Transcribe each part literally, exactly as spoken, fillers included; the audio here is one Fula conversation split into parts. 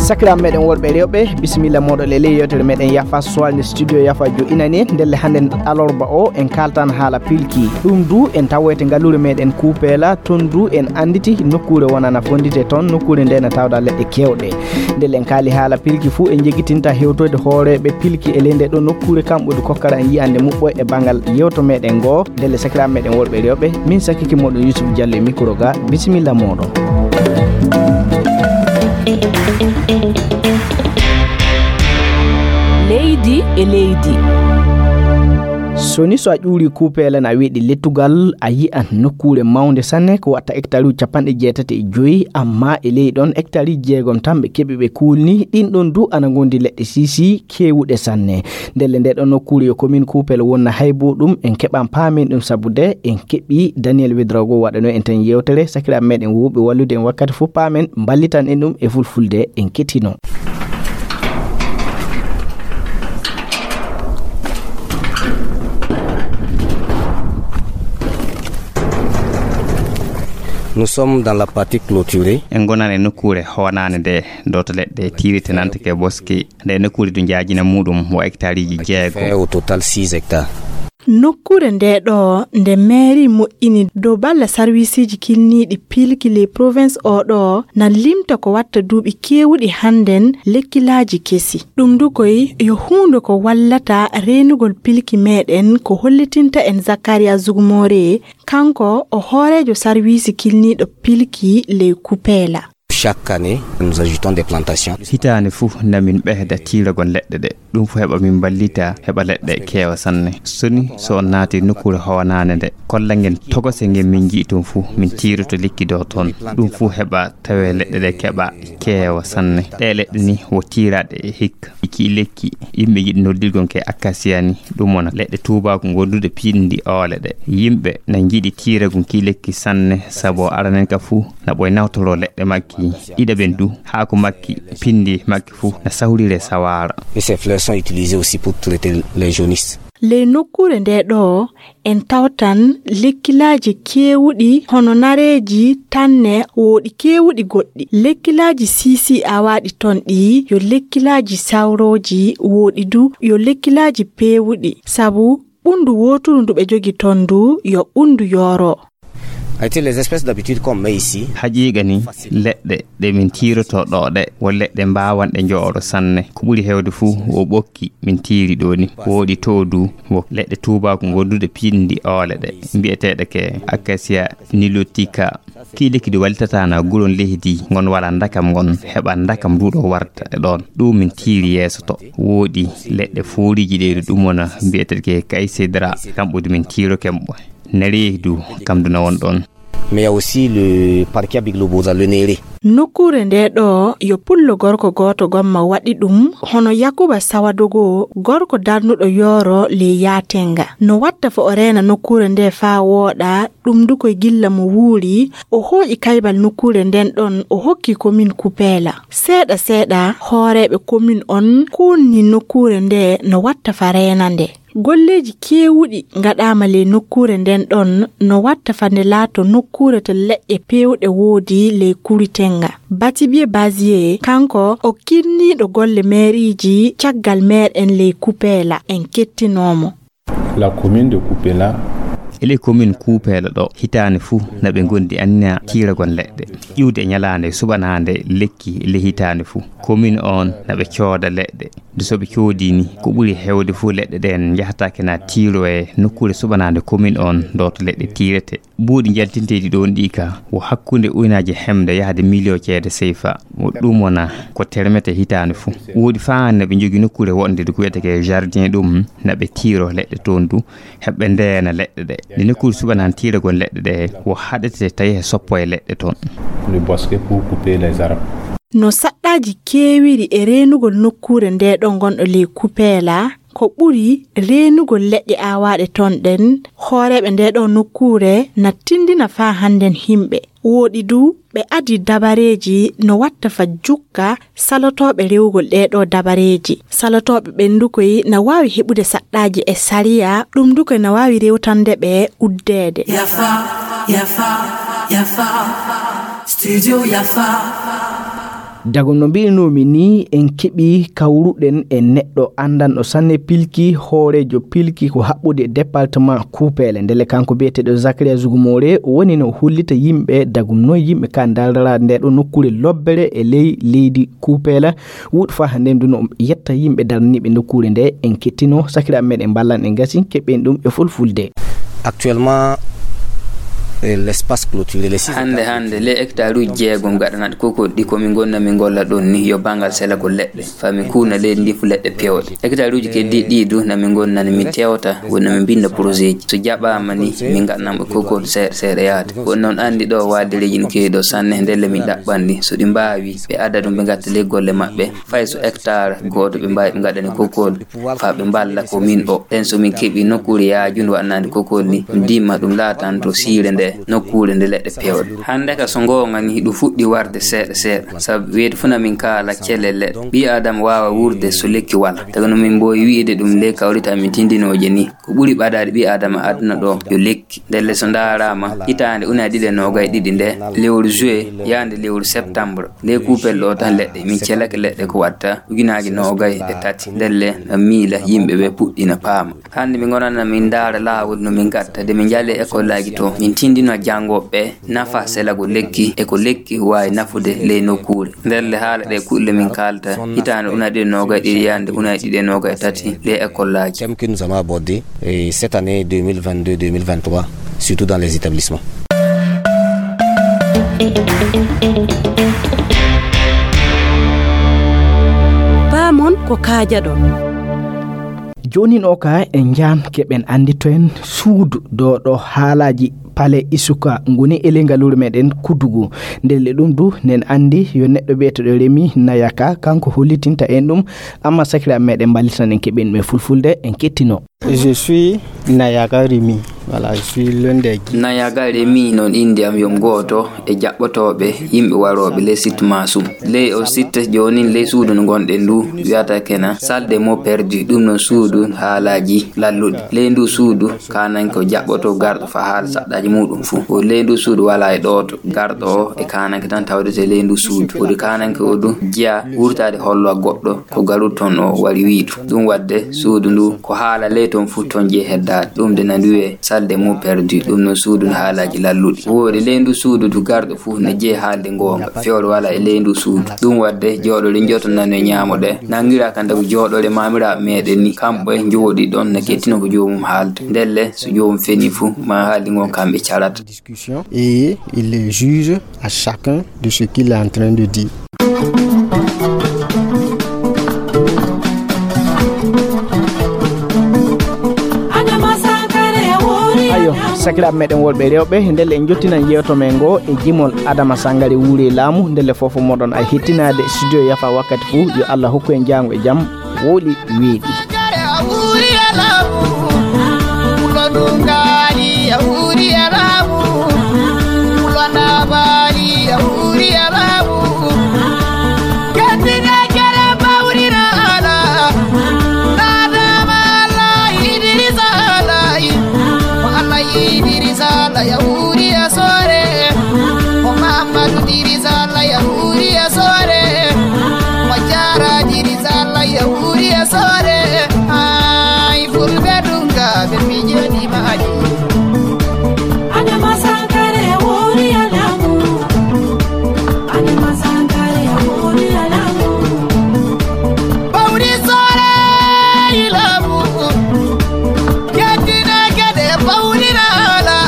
Sakiraaɓe meɗen worɓe e rewɓe, bisimilla mooɗon e ley yewtere meɗen Yafa Soirée nde studio Yafa jo inani. Ndelle hannde alarba o en kaltan haala pilki. Ɗum du en tawoyte ngalluure meɗen Kuupeela, toon du en annditi nokkuure wonana fonndite toon, nokkuure nde na tawda leɗɗe keewɗe. Ndelle en kaali haala pilki fuu, en jegitinta hewtoyde hooreeɓe pilki e ley nde ɗo nokkuure, kamɓe du kokkara en yiyande muɓɓo e banngal yewto meɗen ngo. Ndelle sakiraaɓe meɗen worɓe e rewɓe, min sakiki moɗon Yusuf Diallo e micro ga, bisimilla moɗon. Leydi e leydi. So ni so a ƴuuri Kuupeela na weeɗi lettugal, a yi'an nokkuure mawnde sanne ko watta hectare uji capanɗe jeetati e joyi, amma e ley ɗon hectare uji jeegom tan ɓe keɓi ɓe kuulni. Ɗin ɗon du ana ngondi leɗɗe sisi keewuɗe sanne. Ndelle nde ɗon nokkuure yo commune Kuupeela wonna hay bo ɗum en keɓan paamen ɗum, sabu de en keɓi Daniel Wedrago waɗano en tan yewtere. Sakiraaɓe meɗen wowɓe wallude en wakkati fof paamen, mballitan en ɗum e fulfulde, en kettino. Nous sommes dans la partie clôturée. En gonan e nokkuure honaande nde, ɗo to leɗɗe tiirite nanta ke boski. Nde nokkuure du njaajina muɗum wo hectareji jeego. Fait au total six hectares. Nokkuure nde ɗo nde mairie moƴƴini dow balla sarwisiiji kilniiɗi pilki ley province o ɗo na limta ko watta duuɓi keewuɗi hannden lekkilaaji kesi. Ɗum du koy yo huunde ko wallata reenugol pilki meɗen, ko hollitinta en Zakaria Zugumore, kanko o hooreejo sarwiisi kilniiɗo pilki ley Kupeela. Chaque année, nous ajoutons des plantations. Hitaande fof namin ɓeyda tiiragol leɗɗe ɗe. Ɗum fof heɓa min mballita, heɓa leɗɗe keewa sanne. So ni so on naati nokkuure hoonaande nde, kolla ngen togose ngen min nji'i toon fof, min tiiroto lekki ɗo toon. Ɗum fof heɓa tawe leɗɗe ɗe keɓa keewa sanne. Ɗe leɗɗe ni wo tiiraaɗe e hikka. Ki lekki yimɓe njiɗi noddirgon ke acacia ni, ɗum wona leɗɗe tuubaaku ngonduɗe piɗndi oole ɗe. Yimɓe na njiɗi tiiragol ki lekki sanne, sabu aranen ka fof na ɓoy nawtoro leɗɗe makki. Ɗiɗaɓen du, haako makki, pindi makki fof na sawrire sawaara. Et ces fleurs sont utilisées aussi pour traiter les jaunisses. Ley nokkuure nde ɗo, en tawtan lekkilaaji keewuɗi hono nareeji, tanne, woɗi keewuɗi goɗɗi. Lekkilaaji siisi awaaɗi ton ɗi yo lekkilaaji sawrooji, woɗi du yo lekkilaaji peewuɗi, sabu ɓunndu wooturu ndu ɓe jogi ton ndu yo ɓunndu yooro. Ayte, les espèces d'habitude qu'on met ici. Haqiiqa ni, leɗɗe ɗe min tiiroto ɗo ɗe, wo leɗɗe mbaawanɗe njooro sanne. Ko ɓuri heewde fuu, wo ɓokki min tiiri ɗo ni. Woɗi to du, wo leɗɗe tuubaaku ngonduɗe piɗndi oole ɗe, mbi'eteeɗe ke acacia nilotica. Kii lekki ɗi wallitata na guron leydi ngon wala ndakam ngon, heɓa ndakam ndu ɗo warta e ɗon. Ɗum min tiiri yeeso to. Woɗi leɗɗe fooriiji ɗe ɗum wona mbi'eteeɗe ke kaysedra, kamɓe du min tiiro kemɓe. Nereehi du, kam du na won ɗon. Mais il y a aussi le parquet biglobosa, le néré. Nokkuure nde ɗo yo pullo gorko gooto gomma waɗi ɗum, hono Yakuba Sawadogo, gorko darnuɗo yooro ley yaatenga. No watta fo o reena nokkuure nde faa wooɗa, ɗum du koye gilla mo wuuri, o hooƴi kaybal nokkuure nden ɗon, o hokki komin Kupeela. Seeɗa seeɗa, hooreeɓe komin on kuulni nokkuure nde no watta fa reena nde. Golleeji keewuɗi ngaɗaama ley nokkuure nden ɗon no watta fa nde laato nokkuure to leɗɗe peewɗe woodi ley Kuritenga. Batibie Basie, kanko o kinniiɗo golle meeriiji caggal meer en ley Kupeela, en kettinoo mo. La commune de Kupela. E ley commune Kuupeela ɗo, hitaande fuu na ɓe ngondi anniya tiiragol leɗɗe. Iwde e ñalaande suɓanaande lekki ley hitaande fuu. Commune on na ɓe cooda leɗɗe. Nde so ɓe coodii ni, ko ɓuri heewde fof leɗɗe ɗen njahataake na tiiro e nokkuure suɓanaande commune on ɗo to leɗɗe tiirete. Buuɗi njaltinteeɗi ɗoon ɗii ka, wo hakkunde uynaaje hemde yahde miliyo ceede seyfa. Wo ɗum wona ko termete hitaande fof. Woodi faa hannde ɓe njogii nokkuure woɗnde nde ko wiyetee ke jardin ɗum, na ɓe tiiro leɗɗe toon du, heɓe ndeena leɗɗe ɗe. Nde nokkuure suɓanaande tiiragol leɗɗe ɗe, wo haɗete tawi he soppo e leɗɗe toon. Le bosquet pour couper les arbres. No saɗɗaaji keewiri e reenugol nokkuure nde ɗo ngonɗo ley Kupeela, ko ɓuri reenugol leɗɗe aawaaɗe toon ɗen, hooreeɓe nde ɗo nokkuure na tindina faa hannden himɓe. Wooɗi du, ɓe adii dabareeji no watta fa jukka salotooɓe rewugol ɗee ɗoo dabareeji. Salotooɓe ɓen du koy na waawi heɓude saɗɗaaji e sariya, ɗum du koy na waawi rewtande ɓe uddeede. Yafa, yafa, yafa, studio yafa. Dagum no mbi'inoomi nii, en keɓii kawruɗen e neɗɗo anndanɗo sanne pilki, hooreejo pilki ko haɓɓude e département Kuupeele. Ndelle kanko biyeteeɗo Zakaria Zugumoore woni no hollita yimɓe dagum noon yimɓe ka darara nde ɗo nokkuure lobbere e ley leydi Kuupeele. Wuuɗu faa hannde ndu no yetta yimɓe daraniiɓe nokkuure nde, en kettino sakiraaɓe meɗen mballan en gasi keɓen ɗum e fulfulde. Actuellement, eh, l'espace clôturé, les six hannde hectares. Hannde, les hectares uji jeegom gaɗanaɗi kokol ɗi ko min gonna min golla ɗon ni yo banngal selagol leɗɗe, faa min kuuna leydi ndi fu leɗɗe pewɗe. Hectare uji keddi ɗi du na min gonna ni min tewta, woni na min binda projet ji. So jaɓaama ni, min gaɗanan ɓe kokol seeɗa seeɗa yaade. Woni noon anndi ɗo waadireeji no keewi ɗo sanne, ndelle min ɗaɓɓan ɗi. So ɗi mbaawi, ɓe adda ɗum ɓe ngatta ley golle maɓɓe. Fay so hectare gooto ɓe mbaawi ɓe ngaɗani kokol, faa ɓe mballa ko min o. Ɗen so min keɓi nokkuure yaajunde waɗanaande kokol ni, dimma ɗum laatanto siire nde, nokkuure nde leɗɗe pewɗe. Hannde ka so ngoonga ni, ɗum fuɗɗi warde seeɗa seeɗa. Sabu weeti fuu na min kaala cele leɗɗe. Ɓii Aadama waawa wuurde so lekki wala. Taga no min mboowi wi'ude ɗum ley kawrita min tindinooje ni. Ko ɓuri ɓadaade ɓii Aadama aduna ɗo yo lekki. Ndelle so ndaaraama, hitaande ujunaaji ɗiɗi e noogay e ɗiɗi nde, lewru juillet yaande lewru septembre, ley Kuupel ɗo tan leɗɗe, min celake leɗɗe ko watta ujunaaji noogay e tati. Ndelle na miila yimɓe ɓe puɗɗi na paama. Hannde min ngonana min ndaara laawol no min ngatta, de min njaale e école aji to, min tindina janngooɓe ɓe nafa selago lekki e ko lekki waawi nafude ley nokkuure. Ndelle haala ɗe kulle min kaalta hitaande ujunaaji ɗiɗi e noogay e ɗiɗi yaande ujunaaji ɗiɗi e noogay e tati ley école aji. Thème que nous allons aborder, eh, cette année deux mille vingt-deux deux mille vingt-trois, surtout dans les établissements. Paamon ko kaajaɗon. Joonin o ka en njaan keɓen anndito en suudu ɗo ɗo haalaaji Pale Isuka ngoni e ley ngaluure meɗen Kudugu. Ndelle ɗum du nen anndi yo neɗɗo biyeteeɗo Remi Nayaka, kanko hollitinta en ɗum, amma sakiraaɓe meɗen mballitan en keɓen ɗum e fulfulde, en kettino. Je suis Nayaka Remi. Voilà, je suis l'un des guides. Nayaka Remi noon innde am yo gooto e jaɓɓotooɓe yimɓe warooɓe ley site Masum. Ley o site joonin ley suudu no ngonɗen ndu wiyata kena salle des mots perdus, ɗum noon suudu haalaaji lalluɗi. Ley ndu suudu kaananke o jaɓɓoto garɗo faa haala saɗɗaaji muuɗum fuu. Ko ley ndu suudu walaa e ɗooto garɗo o e kaananke tan tawdete ley ndu suudu. Woodi kaananke o du jeya wurtaade hollowa goɗɗo ko garuɗo toon o wari wiidu. Ɗum waɗde suudu ndu ko haala ley toon fuu toon jeyi heddaade. Ɗum de na ndu wiyee salle des mots perdus, ɗum noon suudu no haalaaji lalluɗi. Woodi ley ndu suudu du garɗo fuu ne jeyi haalde ngoonga. Fewre walaa e ley ndu suudu. Ɗum waɗde jooɗoore njoto nano e ñaamo ɗe. Nanngiraa ka ndagu jooɗoore maamiraaɓe meɗen ni, kamɓe njooɗi ɗon na kettino ko joomum haalta. Ndelle so joomum feni fuu, ma haaldi ngon kamɓe carata. Discussion et il juge à chacun de ce qu'il est en train de dire. Ayo, sakiraaɓe meɗen worɓe e rewɓe, ndelle en jottinan yeewto men ngo e jimol Adama Sangare wuuri e laamu, ndelle fof moɗon ay hettinaade studio yafa wakkati fuu, yo Allah hokku en jaango e jam, wooɗi weeɗi. Idrisa la yahuri asore, o Muhammadu Idrisa la yahuri asore, o Jara Idrisa la yahuri asore. Ay fulbe dunga be mijeni maji. Adama Sankare wuri alamu. Adama Sankare wuri alamu. Bawri sore ilamu. Yeddina kede bawriraala.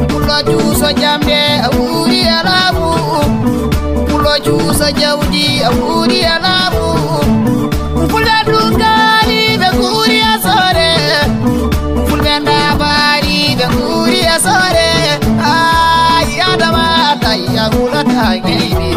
Pulo juuso jamde a wuuri a laamu. Pulo juuso jawdi a wuuri a laamu. Fulɓe dungaali ɓe nguuri a soore. Fulɓe ndaabaari ɓe nguuri a soore. Ay Adama, Allah ya hulata geydi.